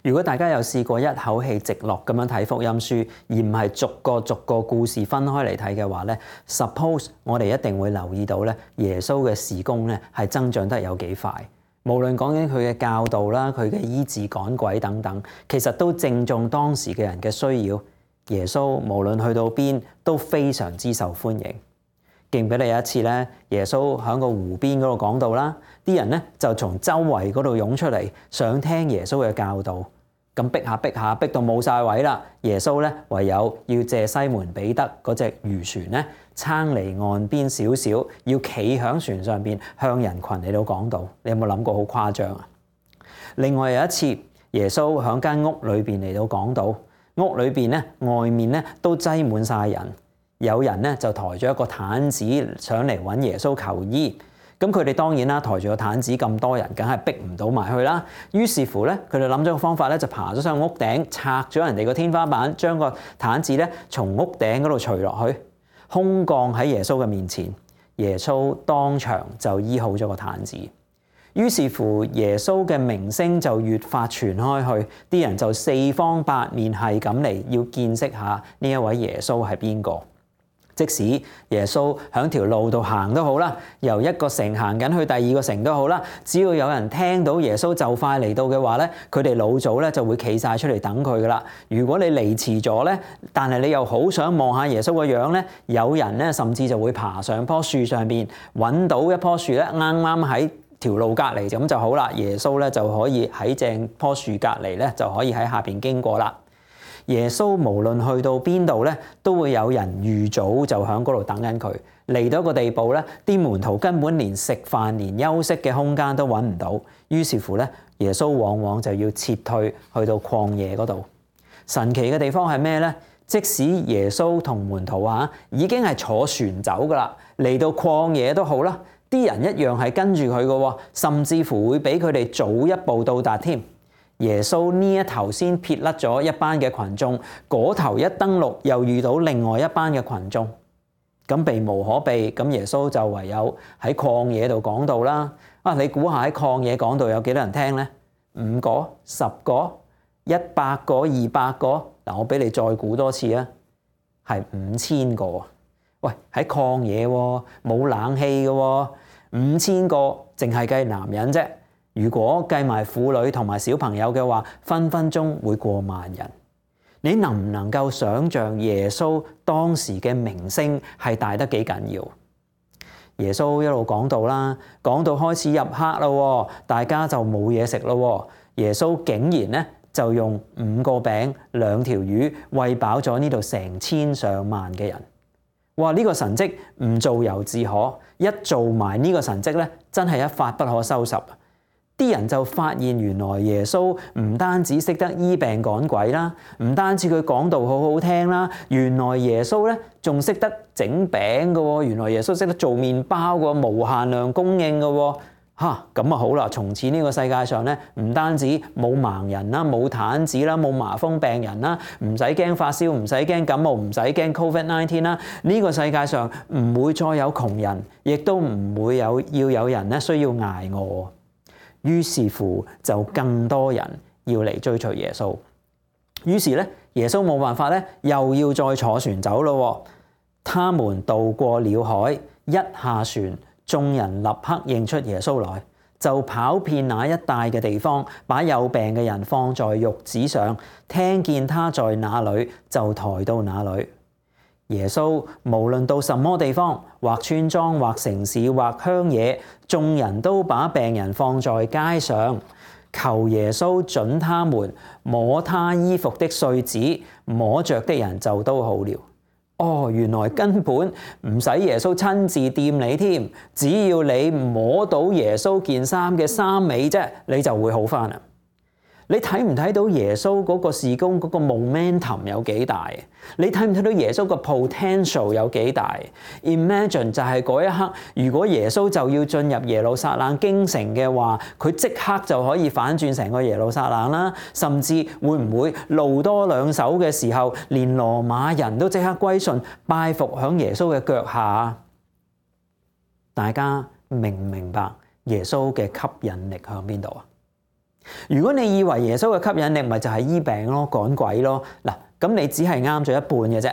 如果大家有試過一口氣直落咁樣睇福音書，而唔係逐個故事分開嚟睇嘅話咧，suppose我哋一定會留意到咧，耶穌嘅事工咧係增長得有幾快。無論講緊佢嘅教導啦、佢嘅醫治趕鬼等等，其實都正中當時嘅人嘅需要。耶穌無論去到邊都非常之受歡迎。記唔記得有一次咧，耶穌喺個湖邊嗰度講道啦，啲人咧就從周圍嗰度湧出嚟，想聽耶穌嘅教導。咁逼下，逼到冇晒位啦。耶穌咧唯有要借西門彼得嗰隻漁船咧撐離岸邊少少，要企喺船上邊向人群嚟到講道。你有冇諗過好誇張啊？另外有一次，耶穌喺間屋裏邊嚟到講道，屋裏邊咧外面咧都擠滿晒人。有人咧就抬咗一個毯子上嚟揾耶穌求醫，咁佢哋當然啦，抬住個毯子咁多人，梗係逼唔到埋去啦。於是乎咧，佢哋諗咗個方法咧，就爬咗上屋頂，拆咗人哋個天花板，將個毯子咧從屋頂嗰度除落去，空降喺耶穌嘅面前。耶穌當場就醫好咗個毯子。於是乎，耶穌嘅名聲就越發傳開去，啲人就四方八面係咁嚟要見識下呢一位耶穌係邊個。即使耶穌喺條路度行都好啦，由一個城行緊去第二個城都好啦，只要有人聽到耶穌就快嚟到嘅話咧，佢哋老早咧就會企晒出嚟等佢噶啦。如果你嚟遲咗咧，但係你又好想望下耶穌個樣咧，有人咧甚至就會爬上棵樹上邊揾到一棵樹咧，啱啱喺條路隔離咁就好啦。耶穌咧就可以喺正棵樹隔離咧，就可以喺下邊經過啦。耶穌無論去到邊度咧，都會有人預早就喺嗰度等緊佢。嚟到一個地步咧，啲門徒根本連食飯、連休息嘅空間都揾唔到。於是乎咧，耶穌往往就要撤退去到曠野嗰度。神奇嘅地方係咩咧？即使耶穌同門徒已經係坐船走噶啦，嚟到曠野都好啦，啲人一樣係跟住佢嘅，甚至乎會比佢哋早一步到達添。耶穌呢一頭先撇甩咗一班嘅群眾，嗰頭一登陸又遇到另外一班嘅群眾，咁避無可避，咁耶穌就唯有喺曠野度講道啦。你估下喺曠野講道有幾多人聽呢？5個、10個、100個、200個？我俾你再估多次啊，係5000個。喂，喺曠野喎，冇冷氣嘅喎，5000個淨係計男人啫。如果計埋婦女同埋小朋友嘅話，分分鐘會過萬人。你能唔能夠想像耶穌當時嘅名聲係大得幾緊要？耶穌一路講到啦，講到開始入黑啦，大家就冇嘢食啦。耶穌竟然咧就用5個餅2條魚餵飽咗呢度成千上萬嘅人。哇！呢個神蹟唔做猶自可，一做埋呢個神蹟咧，真係一發不可收拾。啲人就發現原來耶穌唔單止識得醫病趕鬼啦，唔單止佢講道好好聽啦，原來耶穌咧仲識得整餅嘅喎，原來耶穌識得做麵包嘅，無限量供應嘅喎。咁好啦，從此呢個世界上咧，唔單止冇盲人啦，冇癱子啦，冇麻風病人啦，唔使驚發燒，唔使驚感冒，唔使驚 COVID-19 啦。呢個世界上唔會再有窮人，亦都唔會要有人咧需要捱餓。於是乎就更多人要嚟追隨耶穌。於是咧，耶穌冇辦法咧，又要再坐船走咯。他們渡過了海，一下船，眾人立刻認出耶穌來，就跑遍那一帶嘅地方，把有病嘅人放在褥子上，聽見他在哪裏，就抬到哪裏。耶穌無論到什麼地方，或村莊，或城市，或鄉野，眾人都把病人放在街上，求耶穌准他們摸他衣服的繸子，摸着的人就都好了。原來根本唔使耶穌親自掂你添，只要你摸到耶穌件衫嘅衫尾啫，你就會好返啦。你睇唔睇到耶穌嗰個事工嗰個 momentum 有幾大？你睇唔睇到耶穌個 potential 有幾大 ？Imagine 就係嗰一刻，如果耶穌就要進入耶路撒冷京城嘅話，佢即刻就可以反轉成個耶路撒冷啦。甚至會唔會路多兩手嘅時候，連羅馬人都即刻歸順拜服響耶穌嘅腳下？大家明唔明白耶穌嘅吸引力響邊度啊？如果你以為耶穌嘅吸引力咪就係醫病咯、趕鬼咯，嗱，咁你只係啱咗一半嘅啫。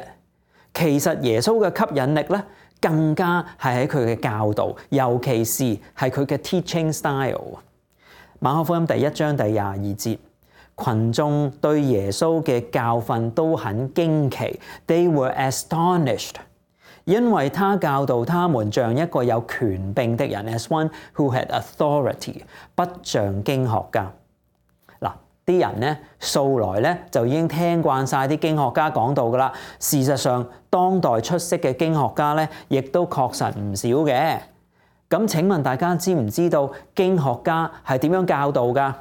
其實耶穌嘅吸引力咧，更加係喺佢嘅教導，尤其是係佢嘅 teaching style。馬可福音第1章第22節，群眾對耶穌嘅教訓都很驚奇 ，they were astonished， 因為他教導他們像一個有權柄的人 ，as one who had authority， 不像經學家。嗱，啲人咧素來咧就已經聽慣晒啲經學家講道噶啦。事實上，當代出色嘅經學家咧，亦都確實唔少嘅。咁請問大家知唔知道經學家係點樣教導㗎？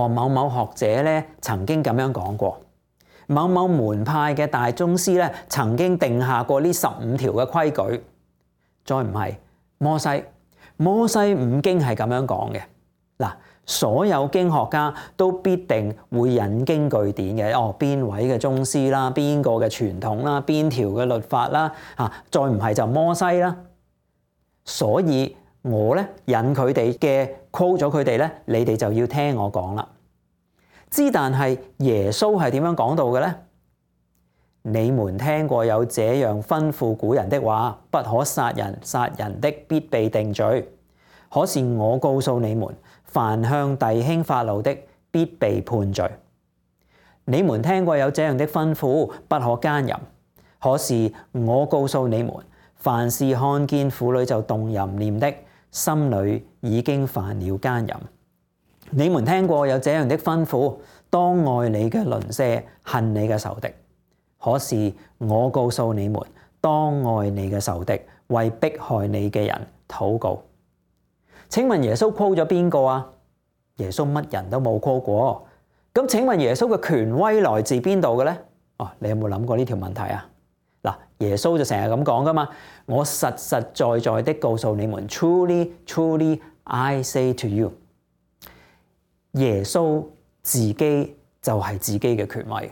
某某學者咧曾經咁樣講過，某某門派嘅大宗師咧曾經定下過呢15條嘅規矩。再唔係摩西五經係咁樣講嘅。嗱，所有經學家都必定會引經據典嘅。邊位嘅宗師啦，邊個嘅傳統啦，邊條嘅律法啦，再唔係就摩西啦。所以我咧引佢哋嘅 quote 咗佢哋咧，你哋就要聽我講啦。但係耶穌係點樣講到嘅咧？你們聽過有這樣吩咐古人的話，不可殺人，殺人的必被定罪。可是我告訴你們，凡向弟兄發怒的，必被判罪。你們聽過有這樣的吩咐，不可奸淫。可是我告訴你們，凡是看見婦女就動淫念的，心裏已經犯了奸淫。你們聽過有這樣的吩咐，當愛你嘅鄰舍，恨你嘅仇敵。可是我告訴你們，當愛你嘅仇敵，為迫害你嘅人禱告。請問耶穌 quote 咗邊個啊？耶穌乜人都冇 quote過。咁請問耶穌嘅權威來自邊度嘅咧？你有冇諗過呢條問題啊？耶穌就成日咁講噶嘛，我實實在在的告訴你們 ，truly truly I say to you， 耶穌自己就係自己嘅權威。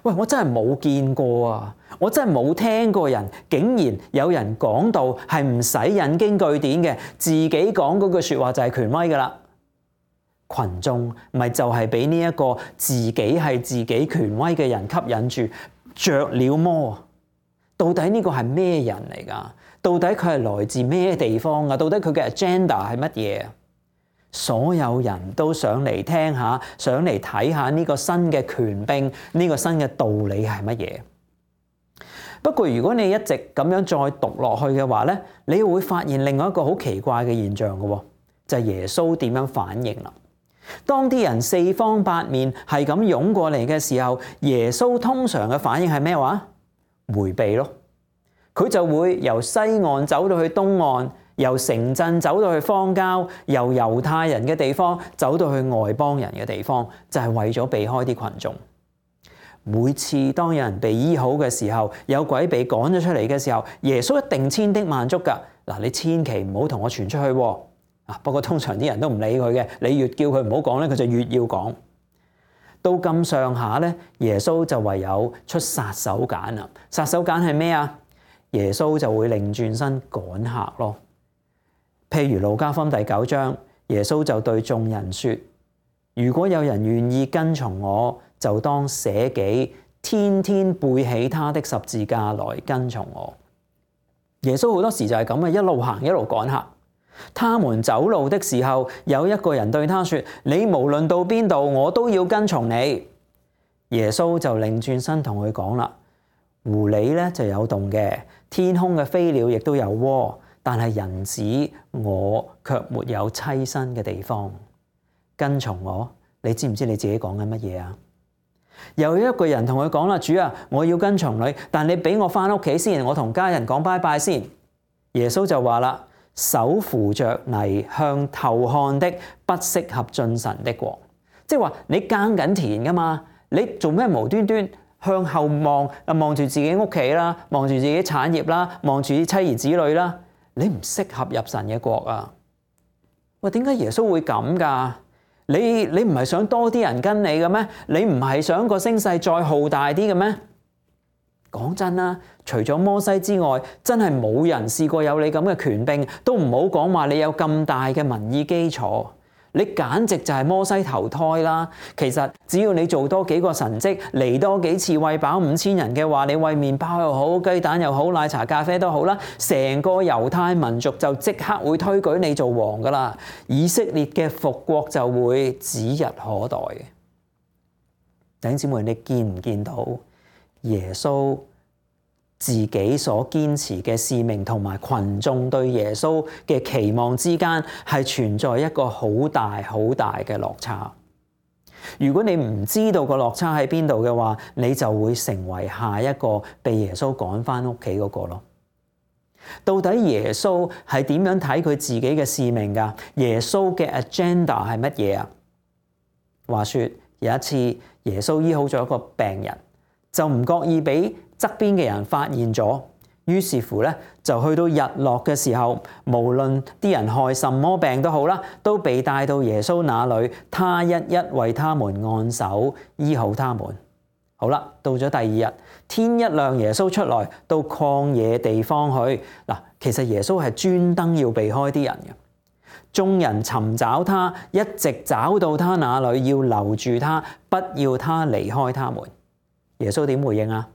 喂，我真係冇見過啊！我真係冇聽過人竟然有人講到係唔使引經據典嘅，自己講嗰句說話就係權威噶啦。群眾咪就係俾呢一個自己係自己權威嘅人吸引住，着了魔。到底呢個係咩人嚟㗎？到底佢係來自咩地方㗎？到底佢嘅 agenda 係乜嘢？所有人都想嚟聽下，想嚟睇下呢個新嘅權柄，呢個新嘅道理係乜嘢？不過如果你一直咁樣再讀落去嘅話咧，你會發現另外一個好奇怪嘅現象嘅，就係耶穌點樣反應啦。當啲人四方八面係咁湧過嚟嘅時候，耶穌通常嘅反應係咩話？迴避咯，佢就會由西岸走到去東岸，由城鎮走到去荒郊，由猶太人嘅地方走到去外邦人嘅地方，就係為咗避開啲群眾。每次當有人被醫好嘅時候，有鬼被趕咗出嚟嘅時候，耶穌一定千叮萬囑㗎。嗱，你千祈唔好同我傳出去喎。不過通常啲人都唔理佢嘅，你越叫佢唔好講咧，佢就越要講。到咁上下咧，耶穌就唯有出殺手鐧啦。殺手鐧係咩啊？耶穌就會擰轉身趕客咯。譬如路加福音第9章，耶穌就對眾人說：如果有人願意跟從我，就當捨己，天天背起他的十字架來跟從我。耶穌好多時就係咁啊，一路行一路趕客。他們走路的時候，有一個人對他說：你無論到邊度，我都要跟從你。耶穌就擰轉身同佢講啦：狐狸咧就有洞嘅，天空嘅飛鳥亦都有窩，但係人子我卻沒有棲身嘅地方。跟從我，你知唔知你自己講緊乜嘢啊？又有一個人同佢講啦：主啊，我要跟從你，但你俾我翻屋企先，我同家人講拜拜先。耶穌就話啦：手扶着泥向頭看的，不適合進神的國。即係話你耕緊田噶嘛，你做咩無端端向後望，望住自己屋企啦，望住自己產業啦，望住啲妻兒子女啦，你唔適合入神嘅國啊！喂，點解耶穌會咁噶？你唔係想多啲人跟你嘅咩？你唔係想個聲勢再浩大啲嘅咩？講真啦，除咗摩西之外，真係冇人試過有你咁嘅權柄，都唔好講話你有咁大嘅民意基礎。你簡直就係摩西投胎啦！其實只要你做多幾個神蹟，嚟多幾次餵飽5000人嘅話，你餵麵包又好，雞蛋又好，奶茶咖啡都好啦，成個猶太民族就即刻會推舉你做王噶啦！以色列嘅復國就會指日可待嘅。弟兄姊妹，你見唔見到耶穌自己所堅持嘅使命同埋群眾對耶穌嘅期望之間係存在一個好大好大嘅落差？如果你唔知道個落差喺邊度嘅話，你就會成為下一個被耶穌趕返屋企嗰個咯。到底耶穌係點樣睇佢自己嘅使命㗎？耶穌嘅 agenda 係乜嘢啊？話說有一次耶穌醫好咗一個病人，就唔覺意俾側邊嘅人發現咗，於是乎咧就去到日落嘅時候，無論啲人害什麼病都好啦，都被帶到耶穌那裡，他一一為他們按手醫好他們。好啦，到咗第二日，天一亮，耶穌出來到曠野地方去。嗱，其實耶穌係專登要避開啲人嘅。眾人尋找他，一直找到他那裡，要留住他，不要他離開他們。耶穌點回應啊？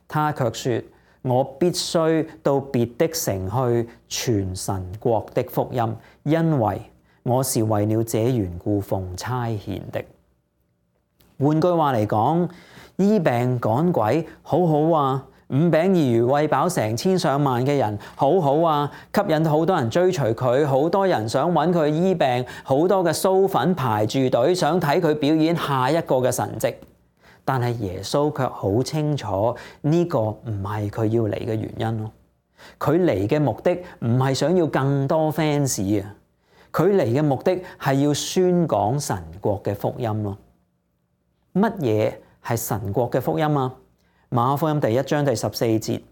他卻說：我必須到別的城去傳神國的福音，因為我是為了這緣故奉差遣的。換句話嚟講，醫病趕鬼好好啊，5餅2魚餵飽成千上萬嘅人好好啊，吸引好多人追隨佢，好多人想揾佢醫病，好多嘅蘇粉排住隊想睇佢表演下一個嘅神蹟。但係耶穌卻好清楚呢個唔係佢要嚟嘅原因咯。佢嚟嘅目的唔係想要更多 fans 啊，佢嚟嘅目的係要宣講神國嘅福音咯。乜嘢係神國嘅福音啊？馬可福音第1章第14節，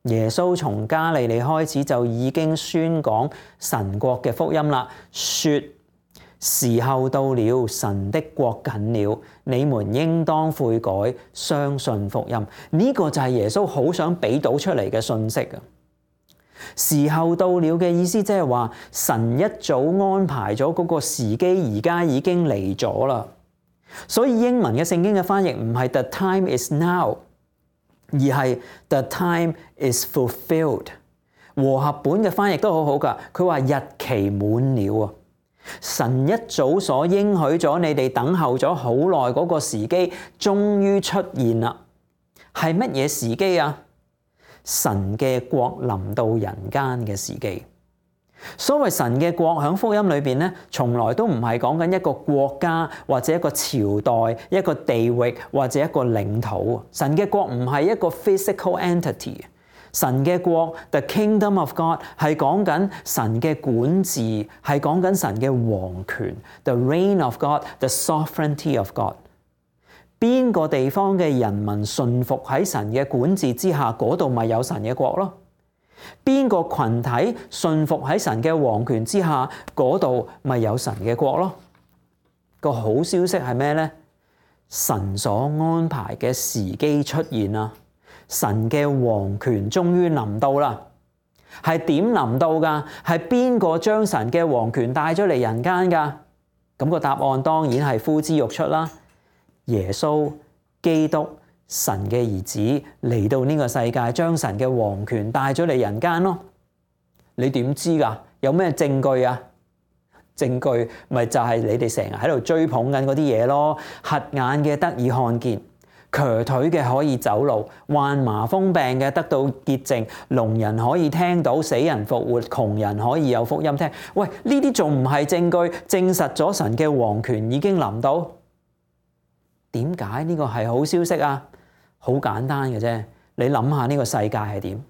耶穌從加利利開始就已經宣講神國嘅福音啦，說：時候到了，神的國近了，你們應當悔改，相信福音。呢個就係耶穌好想俾到出嚟嘅信息啊！時候到了嘅意思即係話，神一早安排咗嗰個時機，而家已經嚟咗啦。所以英文嘅聖經嘅翻譯唔係 The time is now， 而係 The time is fulfilled。和合本嘅翻譯都好好㗎，佢話日期滿了啊！神一早所應許咗你哋等候咗好耐嗰個時機，終於出現啦。係乜嘢時機啊？神嘅國臨到人間嘅時機。所謂神嘅國喺福音裏邊咧，從來都唔係講緊一個國家或者一個朝代、一個地域或者一個領土。神嘅國唔係一個 physical entity。神嘅國 ，the kingdom of God 係講緊神嘅管治，係講緊神嘅王權 ，the reign of God，the sovereignty of God。邊個地方嘅人民順服喺神嘅管治之下，嗰度咪有神嘅國咯？邊個群體順服喺神嘅王權之下，嗰度咪有神嘅國咯？個好消息係咩呢？神所安排嘅時機出現啦！神嘅王權終於臨到啦，係點臨到㗎？係邊個將神嘅王權帶咗嚟人間㗎？咁個答案當然係呼之欲出啦！耶穌基督神嘅兒子嚟到呢個世界，將神嘅王權帶咗嚟人間咯。你點知㗎？有咩證據啊？證據咪就係你哋成日喺度追捧緊嗰啲嘢咯。瞎眼嘅得以看見，瘸腿嘅可以走路，患麻風病嘅得到潔淨，聾人可以聽到，死人復活，窮人可以有福音聽。喂，呢啲仲唔係證據證實咗神嘅王權已經臨到？點解呢個係好消息啊？好簡單嘅啫，你諗下呢個世界係點？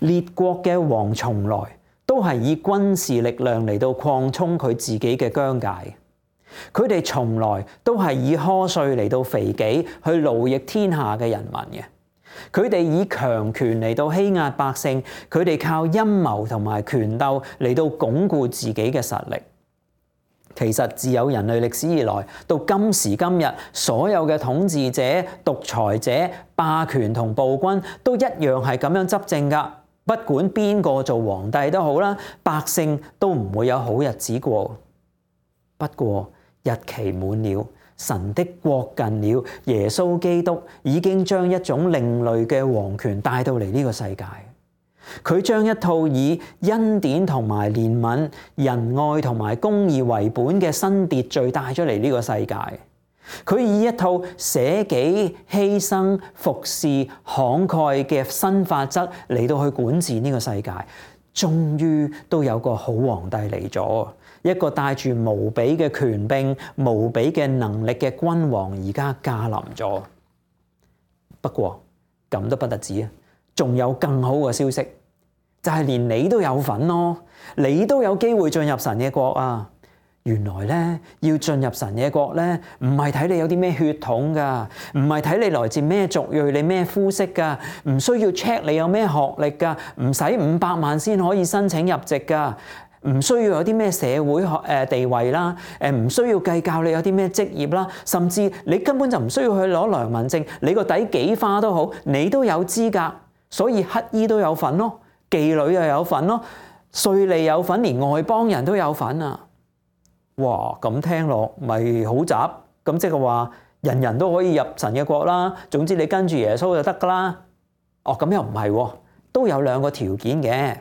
列國嘅王從來都係以軍事力量嚟到擴充佢自己嘅疆界。佢哋從來都係以苛稅嚟到肥己，去奴役天下嘅人民嘅。佢哋以強權嚟到欺壓百姓，佢哋靠陰謀同埋權鬥嚟到鞏固自己嘅實力。其實自有人類歷史以來，到今時今日，所有嘅統治者、獨裁者、霸權同暴君都一樣係咁樣執政㗎。不管邊個做皇帝都好啦，百姓都唔會有好日子過。不過日期滿了，神的國近了，耶穌基督已經將一種另類嘅王權帶到嚟呢個世界。佢將一套以恩典同埋憐憫、仁愛同埋公義為本嘅新秩序帶咗嚟呢個世界。佢以一套捨己、犧牲、服侍、慷慨嘅新法則嚟到去管治呢個世界。終於都有個好皇帝嚟咗，一個帶住無比嘅權柄、無比嘅能力嘅君王，而家駕臨咗。不過咁都不得止啊，仲有更好嘅消息，就係連你都有份咯，你都有機會進入神嘅國啊！原來咧，要進入神嘅國咧，唔係睇你有啲咩血統噶，唔係睇你來自咩族裔、你咩膚色噶，唔需要 check 你有咩學歷噶，唔使500萬先可以申請入籍噶，唔需要有啲咩社會地位啦，唔需要計較你有啲咩職業啦，甚至你根本就唔需要去攞良民證，你個底幾花都好，你都有資格。所以乞衣都有份咯，妓女又有份咯，稅吏有份，連外邦人都有份啊！哇，咁聽落咪好雜，咁即係話人人都可以入神嘅國啦。總之你跟住耶穌就得噶啦。哦，咁又唔係喎，都有2個條件嘅。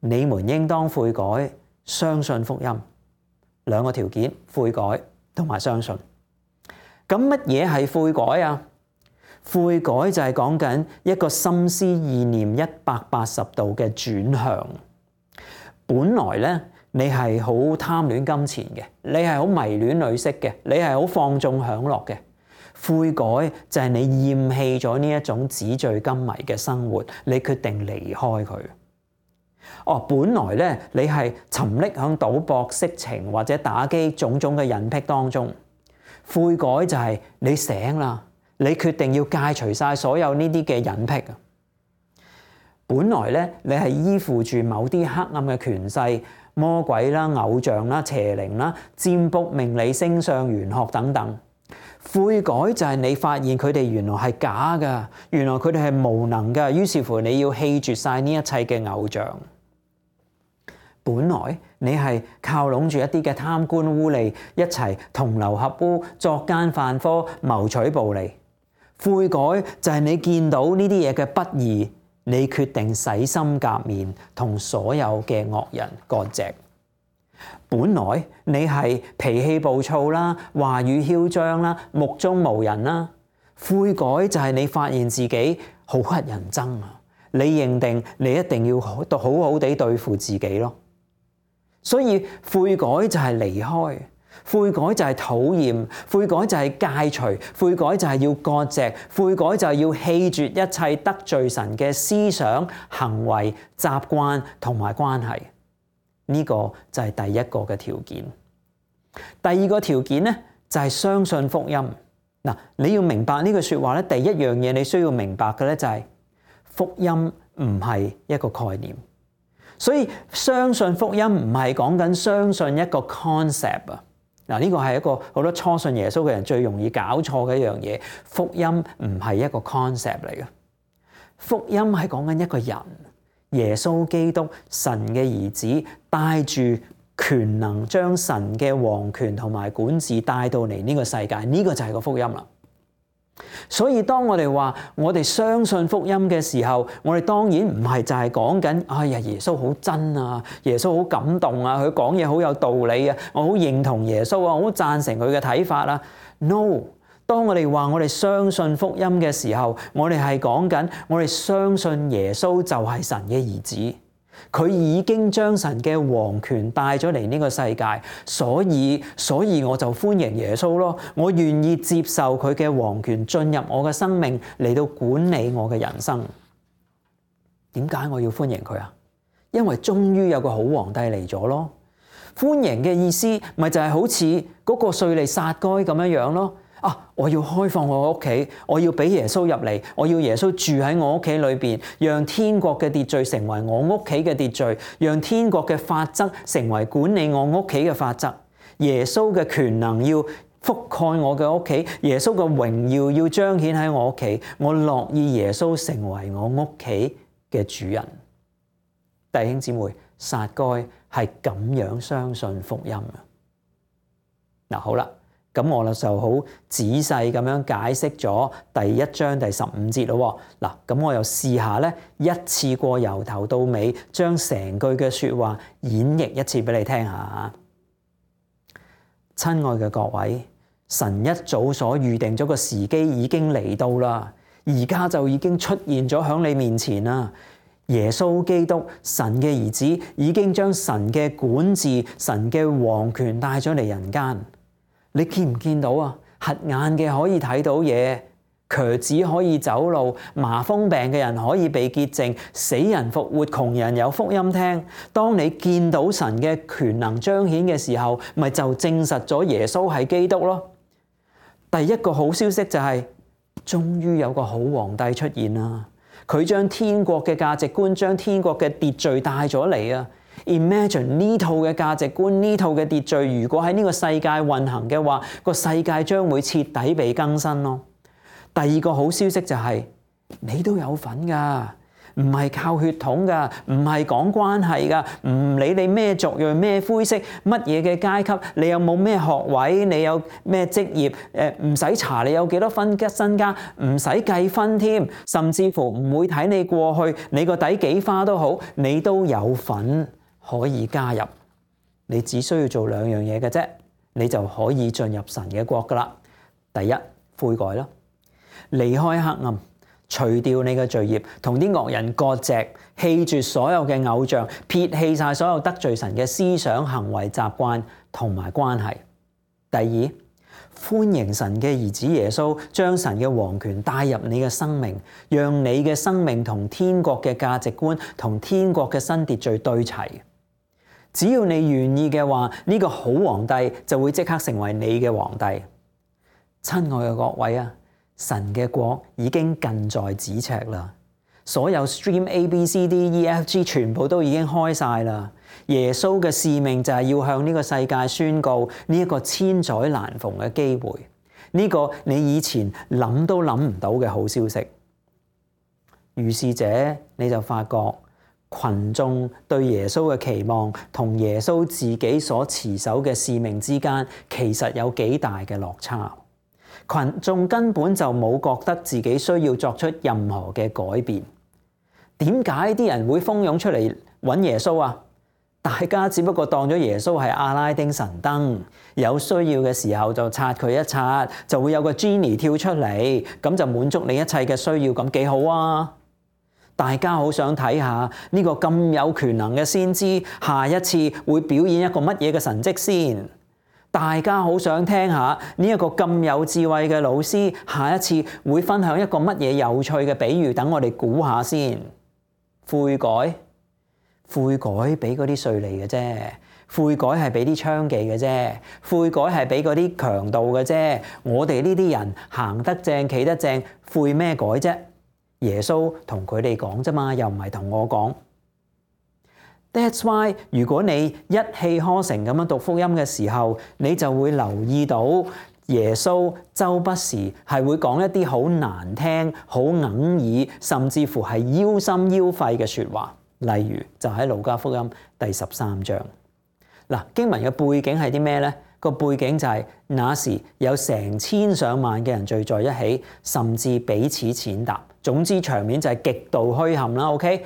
你們應當悔改，相信福音。2個條件：悔改同埋相信。咁乜嘢係悔改啊？悔改就係講緊一個心思意念180度嘅轉向。本來咧，你係好貪戀金錢嘅，你係好迷戀女色嘅，你係好放縱享樂嘅。悔改就係你厭棄咗呢一種紙醉金迷嘅生活，你決定離開佢。哦，本來咧，你係沉溺響賭博、色情或者打機種種嘅癮癖當中。悔改就係你醒啦，你決定要戒除晒所有呢啲嘅癮癖啊！本來咧，你係依附住某啲黑暗嘅權勢、魔鬼啦、偶像啦、邪靈啦、占卜、命理、星相、玄學等等。悔改就係你發現佢哋原來係假㗎，原來佢哋係無能㗎，於是乎你要棄絕晒呢一切嘅偶像。本來你係靠攏住一啲嘅貪官污吏，一齊同流合污、作奸犯科、謀取暴利。悔改就係你見到呢啲嘢嘅不義，你決定洗心革面，同所有嘅惡人割席。本來你係脾氣暴躁啦、話語囂張啦、目中無人啦。悔改就係你發現自己好乞人憎啊！你認定你一定要好好地對付自己咯。所以悔改就係離開，悔改就係討厭，悔改就係戒除，悔改就係要割席，悔改就係要棄絕一切得罪神嘅思想、行為、習慣同埋關係。呢個就係第一個嘅條件。第2個條件咧就係相信福音。嗱，你要明白呢句說話咧，第一樣嘢你需要明白嘅咧就係福音唔係一個概念。所以相信福音唔係講緊相信一個 concept 啊！嗱，呢個係一個好多初信耶穌嘅人最容易搞錯嘅一樣嘢。福音唔係一個 concept 嚟嘅，福音係講緊一個人，耶穌基督，神嘅兒子，帶住權能將神嘅王權同埋管治帶到嚟呢個世界，呢個就係個福音啦。所以當我哋話我哋相信福音嘅時候，我哋當然唔係就係講緊哎呀耶穌好真啊，耶穌好感動啊，佢講嘢好有道理啊，我好認同耶穌啊，我好贊成佢嘅睇法啊。No， 當我哋話我哋相信福音嘅時候，我哋係講緊我哋相信耶穌就係神嘅兒子。佢已經將神嘅王權帶咗嚟呢個世界，所以我就歡迎耶穌咯。我願意接受佢嘅王權進入我嘅生命，嚟到管理我嘅人生。點解我要歡迎佢啊？因為終於有個好皇帝嚟咗咯。歡迎嘅意思咪就係好似嗰個稅吏撒該咁樣咯。我要開放我屋企，我要俾耶穌入嚟，我要耶穌住喺我屋企裏邊，讓天國嘅秩序成為我屋企嘅秩序，讓天國嘅法則成為管理我屋企嘅法則。耶穌嘅權能要覆蓋我嘅屋企，耶穌嘅榮耀要彰顯喺我屋企，我樂意耶穌成為我屋企嘅主人。弟兄姊妹，撒該係咁樣相信福音啊！嗱，好啦，咁我就好仔細咁樣解釋咗第一章第15節咯。嗱，咁我又試下咧，一次過由頭到尾將成句嘅說話演繹一次俾你聽下。親愛嘅各位，神一早所預定咗個時機已經嚟到啦，而家就已經出現咗喺你面前啦。耶穌基督，神嘅兒子，已經將神嘅管治、神嘅王權帶咗嚟人間。你見唔見到啊？瞎眼嘅可以睇到嘢，瘸子可以走路，麻風病嘅人可以被潔淨，死人復活，窮人有福音聽。當你見到神嘅權能彰顯嘅時候，咪就證實咗耶穌係基督咯。第一個好消息就係，終於有個好皇帝出現啦。佢將天國嘅價值觀、將天國嘅秩序帶咗嚟啊！Imagine 呢套嘅價值觀、呢套嘅秩序，如果喺呢個世界運行嘅話，個世界將會徹底被更新咯。第二個好消息就係，你都有份噶，唔係靠血統噶，唔係講關係噶，唔理你咩族裔、咩膚色、乜嘢嘅階級，你有冇咩學位，你有咩職業，唔使查你有幾多分身家，唔使計分添，甚至乎唔會睇你過去，你個底幾花都好，你都有份可以加入。你只需要做兩樣嘢嘅啫，你就可以進入神嘅國噶啦。第一，悔改啦，離開黑暗，除掉你嘅罪孽，同啲惡人割席，棄絕所有嘅偶像，撇棄晒所有得罪神嘅思想、行為、習慣同埋關係。第二，歡迎神嘅兒子耶穌，將神嘅王權帶入你嘅生命，讓你嘅生命同天國嘅價值觀、同天國嘅新秩序對齊。只要你願意嘅話，呢個好皇帝就會即刻成為你嘅皇帝。親愛嘅各位啊，神嘅國已經近在咫尺啦，所有 stream ABCDEFG 全部都已經開晒啦。耶穌嘅使命就係要向呢個世界宣告呢一個千載難逢嘅機會，呢個你以前諗都諗唔到嘅好消息。於是者你就發覺群眾對耶穌嘅期望同耶穌自己所持守嘅使命之間，其實有幾大嘅落差。群眾根本就冇覺得自己需要作出任何嘅改變。點解啲人會蜂擁出嚟揾耶穌啊？大家只不過當咗耶穌係阿拉丁神燈，有需要嘅時候就擦佢一擦，就會有個 Genie 跳出嚟，咁就滿足你一切嘅需要，咁幾好啊！大家好想睇下呢個咁有權能嘅先知，下一次會表演一個乜嘢嘅神蹟先？大家好想聽下呢一個咁有智慧嘅老師，下一次會分享一個乜嘢有趣嘅比喻，等我哋估下先。悔改俾嗰啲稅吏嘅啫，悔改係俾啲娼妓嘅啫，悔改係俾嗰啲強盜嘅啫。我哋呢啲人行得正企得正，悔咩改啫？耶穌同佢哋講啫嘛，又唔係同我講。That's why 如果你一氣呵成咁樣讀福音嘅時候，你就會留意到耶穌周不時係會講一啲好難聽、好哽耳，甚至乎係腰心腰肺嘅說話。例如就喺路加福音第13章。嗱，經文嘅背景係啲咩呢？個背景就係那時有成千上萬嘅人聚在一起，甚至彼此踐踏。總之場面就係極度墟冚啦。OK，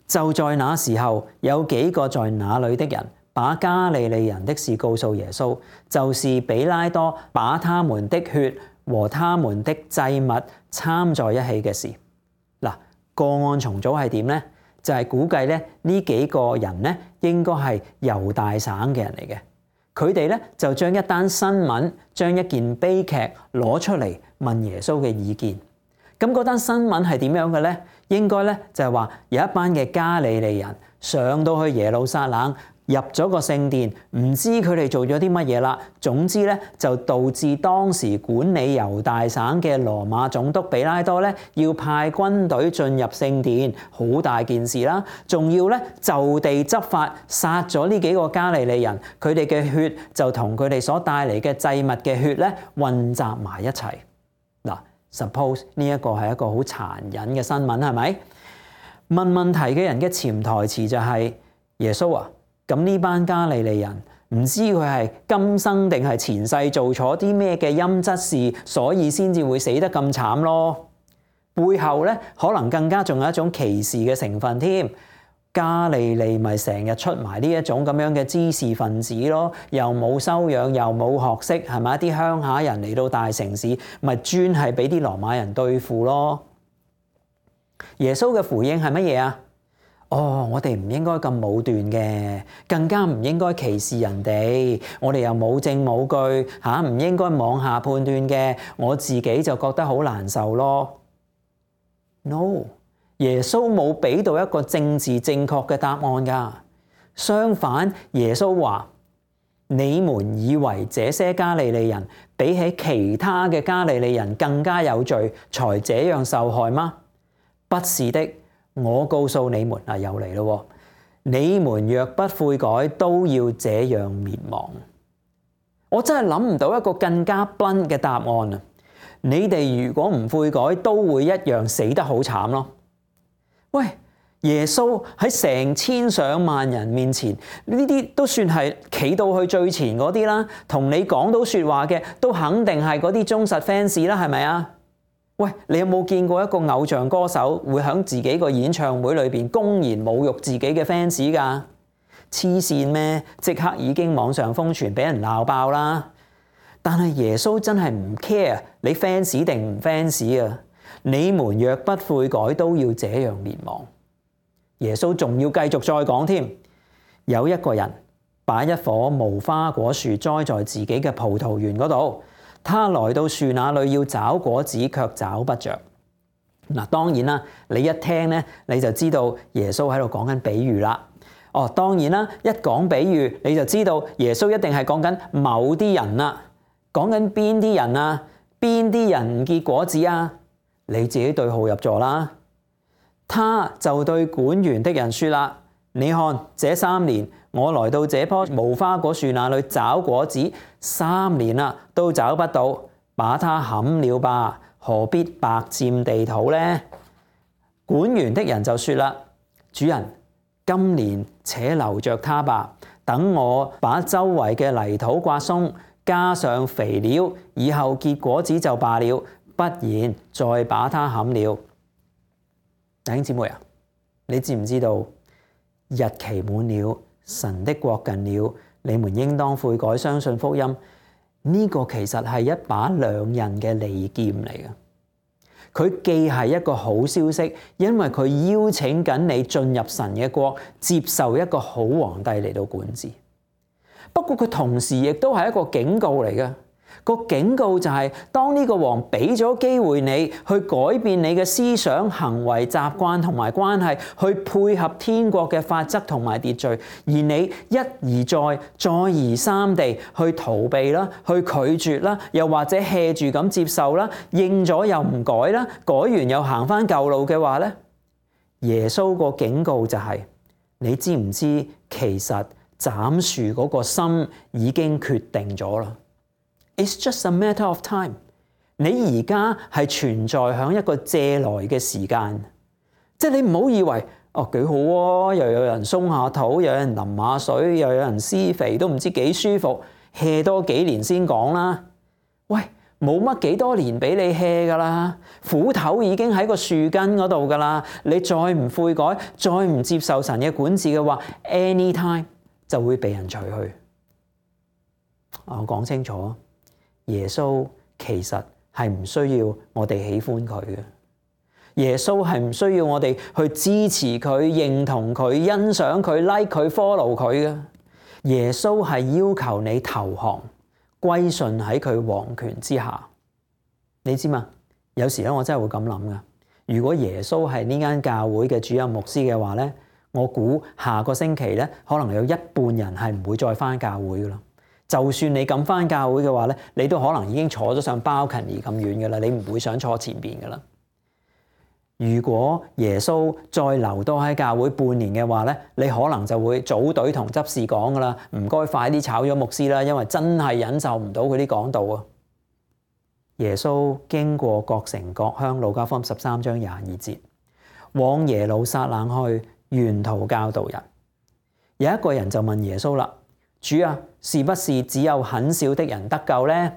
就在那時候，有幾個在那裏的人把加利利人的事告訴耶穌，就是比拉多把他們的血和他們的祭物摻在一起嘅事。嗱，個案重組係點呢？就係估計咧，呢幾個人咧應該係猶大省嘅人嚟嘅。佢哋咧就將一單新聞、將一件悲劇攞出嚟問耶穌嘅意見。咁嗰單新聞係點樣嘅咧？應該咧就係話有一班嘅加利利人上到去耶路撒冷，入咗個聖殿，唔知佢哋做咗啲乜嘢啦。總之咧就導致當時管理猶大省嘅羅馬總督比拉多咧要派軍隊進入聖殿，好大件事啦。仲要咧就地執法，殺咗呢幾個加利利人，佢哋嘅血就同佢哋所帶嚟嘅祭物嘅血咧混雜埋一齊。嗱，suppose 呢一個係一個好殘忍嘅新聞，係咪？問問題嘅人嘅潛台詞就係耶穌啊！咁呢班加利利人唔知佢係今生定係前世做錯啲咩嘅陰質事，所以先至會死得咁慘咯。背後咧可能更加仲有一種歧視嘅成分添。加利利咪成日出埋呢一種咁樣嘅滋事分子咯，又冇修養又冇學識，係咪？啲鄉下人嚟到大城市，咪專係俾啲羅馬人對付咯。耶穌嘅回應係乜嘢啊？我哋唔應該咁武斷嘅，更加唔應該歧視人哋。我哋又冇證冇據唔應該妄下判斷嘅。我自己就覺得好難受咯。No。耶穌冇俾到一個政治正確嘅答案㗎，相反，耶穌話：你們以為這些加利利人比起其他嘅加利利人更加有罪，才這樣受害嗎？不是的，我告訴你們，又嚟咯，你們若不悔改，都要這樣滅亡。我真係諗唔到一個更加 blunt 嘅答案啊！你哋如果唔悔改，都會一樣死得好慘咯。喂，耶穌喺成千上萬人面前，呢啲都算係企到去最前嗰啲啦，同你講到說話嘅，都肯定係嗰啲忠實 fans 啦，係咪啊？喂，你有冇見過一個偶像歌手會喺自己個演唱會裏邊公然侮辱自己嘅 fans 㗎？黐線咩？即刻已經網上瘋傳，俾人鬧爆啦！但係耶穌真係唔 care 你 fans 定唔 fans 啊！你們若不悔改，都要這樣滅亡。耶穌仲要繼續再講添，有一個人把一棵無花果樹栽在自己嘅葡萄園嗰度，他來到樹那裏要找果子，卻找不着。嗱，當然啦，你一聽咧，你就知道耶穌喺度講緊比喻啦。當然啦，一講比喻，你就知道耶穌一定係講緊某啲人啦。講緊邊啲人啊？邊啲人唔結果子啊？你自己對號入座啦。他就對管園的人說啦：你看，這3年我來到這棵無花果樹那裏找果子，3年啦都找不到，把它砍了吧，何必白佔地土呢？管園的人就說啦：主人，今年且留着它吧，等我把周圍嘅泥土刮鬆，加上肥料，以後結果子就罷了。不然再把它砍了。弟兄姊妹啊，你知唔知道日期滿了，神的國近了，你們應當悔改，相信福音。呢個其實係一把兩刃嘅利劍嚟嘅。佢既係一個好消息，因為佢邀請緊你進入神嘅國，接受一個好皇帝嚟到管治。不過佢同時亦都係一個警告嚟嘅。個警告就係，當呢個王俾咗機會你去改變你嘅思想、行為、習慣同埋關係，去配合天國嘅法則同埋秩序，而你一而再、再而三地去逃避啦、去拒絕啦，又或者 hea 住咁接受啦，應咗又唔改啦，改完又行返舊路嘅話咧，耶穌個警告就係，你知唔知其實斬樹嗰個心已經決定咗啦。It's just a matter of time。你而家係存在喺一個借來嘅時間，即係你唔好以為幾好啊，又有人鬆下肚，又有人淋下水，又有人施肥，都唔知幾舒服。hea 多幾年先講啦。喂，冇乜幾多年俾你 hea 噶啦，斧頭已經喺個樹根嗰度噶啦。你再唔悔改，再唔接受神嘅管治嘅話 ，anytime 就會被人除去。我講清楚。耶穌其實係唔需要我哋喜歡佢嘅，耶穌係唔需要我哋去支持佢、認同佢、欣賞佢、like 佢、follow 佢嘅。耶穌係要求你投降、歸順喺佢王權之下。你知嘛？有時咧，我真係會咁諗噶。如果耶穌係呢間教會嘅主任牧師嘅話咧，我估下個星期咧，可能有一半人係唔會再返教會噶啦。就算你敢返教會嘅話咧，你都可能已經坐咗上balcony咁遠嘅啦，你唔會想坐前邊嘅啦。如果耶穌再留多喺教會半年嘅話咧，你可能就會組隊同執事講噶啦，唔該快啲炒咗牧師啦，因為真係忍受唔到佢啲講道啊。耶穌經過各城各鄉，路加福音13章22節，往耶路撒冷去，沿途教導人。有一個人就問耶穌啦：主啊，是不是只有很少的人得救呢？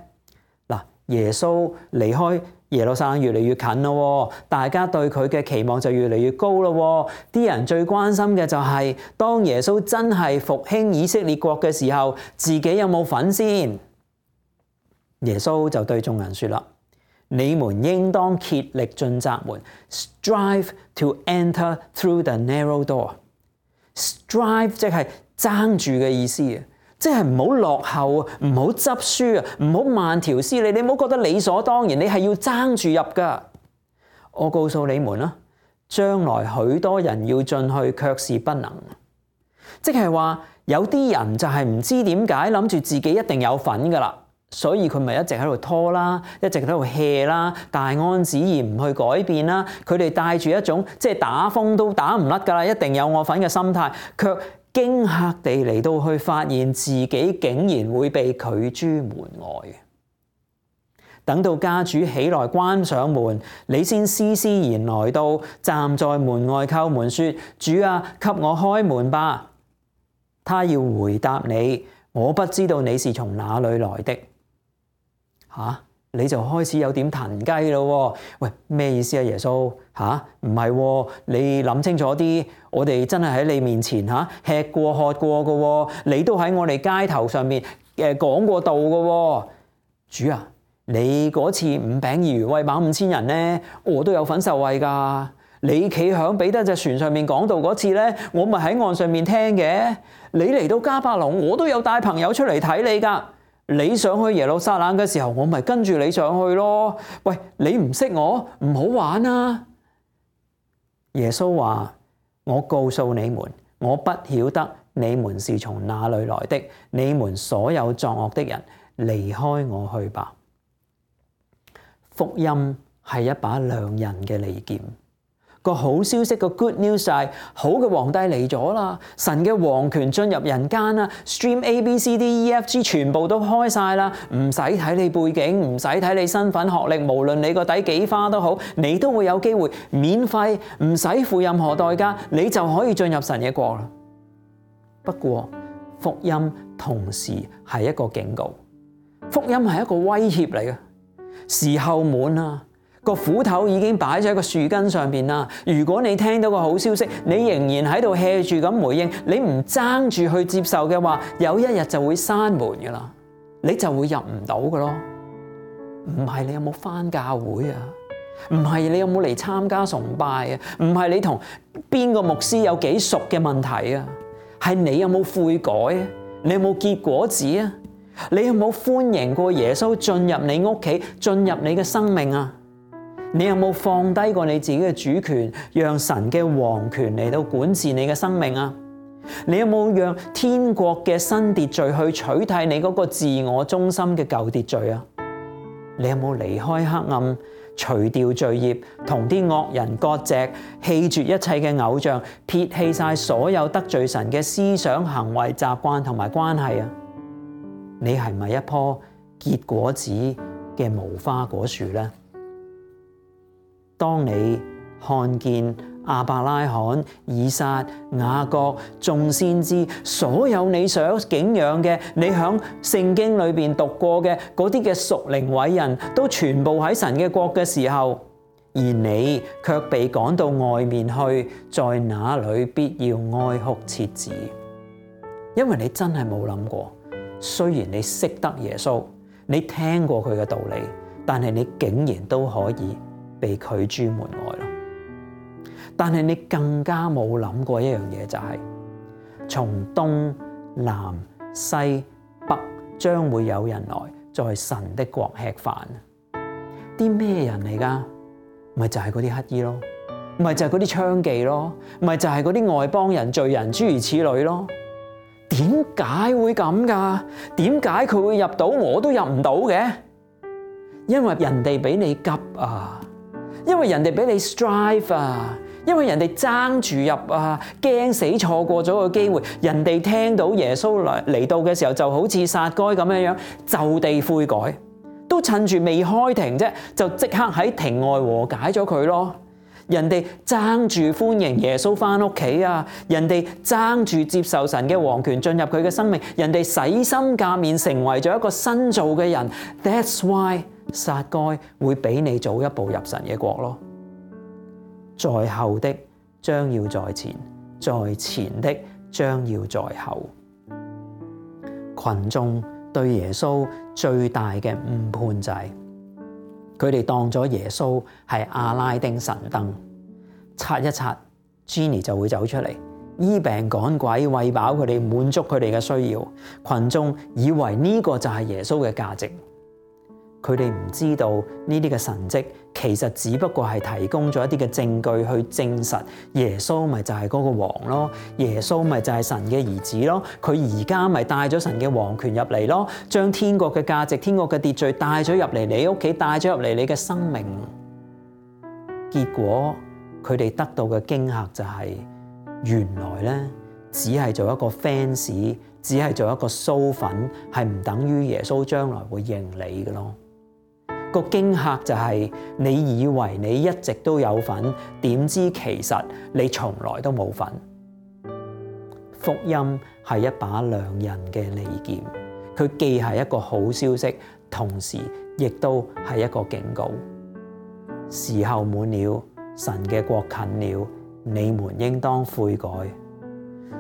嗱，耶穌離開耶路撒冷越嚟越近咯，大家對佢嘅期望就越嚟越高咯。啲人最關心嘅就係，當耶穌真係復興以色列國嘅時候，自己有冇份先？耶穌就對眾人說啦：你們應當竭力進窄門 ，strive to enter through the narrow door。strive 即係爭住嘅意思啊！即係唔好落後啊，唔好執輸啊，唔好慢條斯理，你唔好覺得理所當然，你係要爭住入㗎。我告訴你們啦，將來許多人要進去，卻是不能。即係話有啲人就係唔知點解諗住自己一定有份㗎啦，所以佢咪一直喺度拖啦，一直喺度 hea 啦，大安旨意唔去改變啦。佢哋帶住一種即係打風都打唔甩㗎啦，一定有我份嘅心態，卻驚嚇地嚟到去發現自己竟然會被拒諸門外。等到家主起來關上門，你先施施然來到，站在門外叩門說：主啊，給我開門吧。他要回答你：我不知道你是從哪裏來的。你就開始有點騰雞咯。喂，咩意思啊？耶穌唔係，你諗清楚啲。我哋真係喺你面前吃過喝過嘅，你都喺我哋街頭上面講過道嘅。主啊，你嗰次5餅2魚餵飽5000人呢，我都有份受惠㗎。你企響彼得隻船上面講道嗰次呢，我咪喺岸上面聽嘅。你嚟到迦百農，我都有帶朋友出嚟睇你㗎。你上去耶路撒冷嘅時候，我咪跟住你上去咯。喂，你唔識我，唔好玩啊！耶穌話：我告訴你們，我不曉得你們是從哪裏來的。你們所有作惡的人，離開我去吧。福音係一把兩刃嘅利劍。個好消息，個 good news 係好嘅皇帝嚟咗啦，神嘅皇權進入人間啦 ，stream ABCDEFG 全部都開晒啦，唔使睇你背景，唔使睇你身份學歷，無論你個底幾花都好，你都會有機會免費，唔使付任何代價，你就可以進入神嘅國啦。不過福音同時係一個警告，福音係一個威脅嚟嘅，時候滿啦。個斧頭已經擺咗喺個樹根上邊啦。如果你聽到個好消息，你仍然喺度 hea 住咁回應，你唔爭住去接受嘅話，有一日就會閂門噶啦，你就會入唔到噶咯。唔係你有冇返教會啊？唔係你有冇嚟參加崇拜啊？唔係你同邊個牧師有幾熟嘅問題啊？係你有冇悔改啊？你有冇結果子啊？你有冇歡迎過耶穌進入你屋企，進入你嘅生命啊？你有冇放低過你自己嘅主權，讓神嘅王權嚟到管治你嘅生命啊？你有冇讓天國嘅新秩序去取締你嗰個自我中心嘅舊秩序啊？你有冇離開黑暗，除掉罪孽，同啲惡人割席，棄絕一切嘅偶像，撇棄晒所有得罪神嘅思想、行為、習慣同埋關係啊？你係咪一棵結果子嘅無花果樹呢？當你看見亞伯拉罕、以撒、雅各、眾先知，所有你想敬仰嘅，你喺聖經裏邊讀過嘅嗰啲嘅屬靈偉人都全部喺神嘅國嘅時候，而你卻被趕到外面去，在那裏必要哀哭切齒，因為你真係冇諗過，雖然你識得耶穌，你聽過佢嘅道理，但係你竟然都可以被拒諸門外咯。但係你更加冇諗過一樣嘢，就係從東南西北將會有人來在神的國吃飯。啲咩人嚟㗎？咪就係嗰啲乞兒咯，咪就係嗰啲娼妓咯，咪就係嗰啲外邦人、罪人諸如此類咯。點解會咁㗎？點解佢會入到我都入唔到嘅？因為人哋比你急啊！因為人哋俾你 strive 啊，因為人哋爭住入啊，驚死錯過咗個機會。人哋聽到耶穌嚟到嘅時候，就好似撒該咁樣樣，就地悔改，都趁住未開庭啫，就即刻喺庭外和解咗佢咯。人哋爭住歡迎耶穌返屋企啊！人哋爭住接受神嘅王權進入佢嘅生命，人哋洗心革面成為咗一個新造嘅人。That's why 撒該會比你早一步入神嘅國咯。在後的將要在前，在前的將要在後。群眾對耶穌最大嘅誤判就係佢哋當咗耶穌係阿拉丁神燈，刷一刷 Genie 就會走出嚟，醫病趕鬼，餵飽佢哋，滿足佢哋嘅需要。群眾以為呢個就係耶穌嘅價值，佢哋唔知道呢啲嘅神蹟其實只不過係提供咗一啲嘅證據去證實耶穌咪就係嗰個王咯，耶穌咪就係神嘅兒子咯，佢而家咪帶咗神嘅王權入嚟咯，將天國嘅價值、天國嘅秩序帶咗入嚟你屋企，帶咗入嚟你嘅生命。結果佢哋得到嘅驚嚇就係，原來咧只係做一個 fans， 只係做一個騷粉，係唔等於耶穌將來會認你嘅咯。個驚嚇就係你以為你一直都有份，點知其實你從來都冇份。福音係一把兩刃嘅利劍，佢既係一個好消息，同時亦都係一個警告。時候滿了，神嘅國近了，你們應當悔改。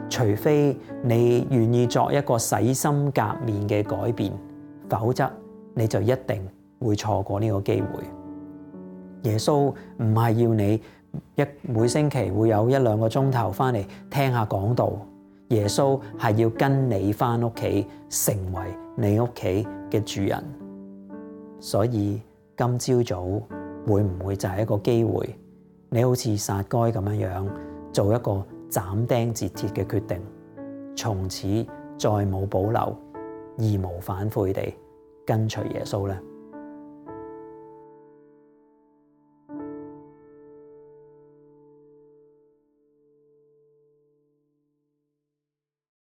除非你願意作一個洗心革面嘅改變，否則你就一定會錯過呢個機會。耶穌唔係要你每星期會有1-2個鐘頭翻嚟聽下講道，耶穌係要跟你翻屋企，成為你屋企嘅主人。所以今朝早會唔會就係一個機會，你好似撒該咁樣做一個斬釘截鐵嘅決定，從此再冇保留，義無反悔地跟隨耶穌呢？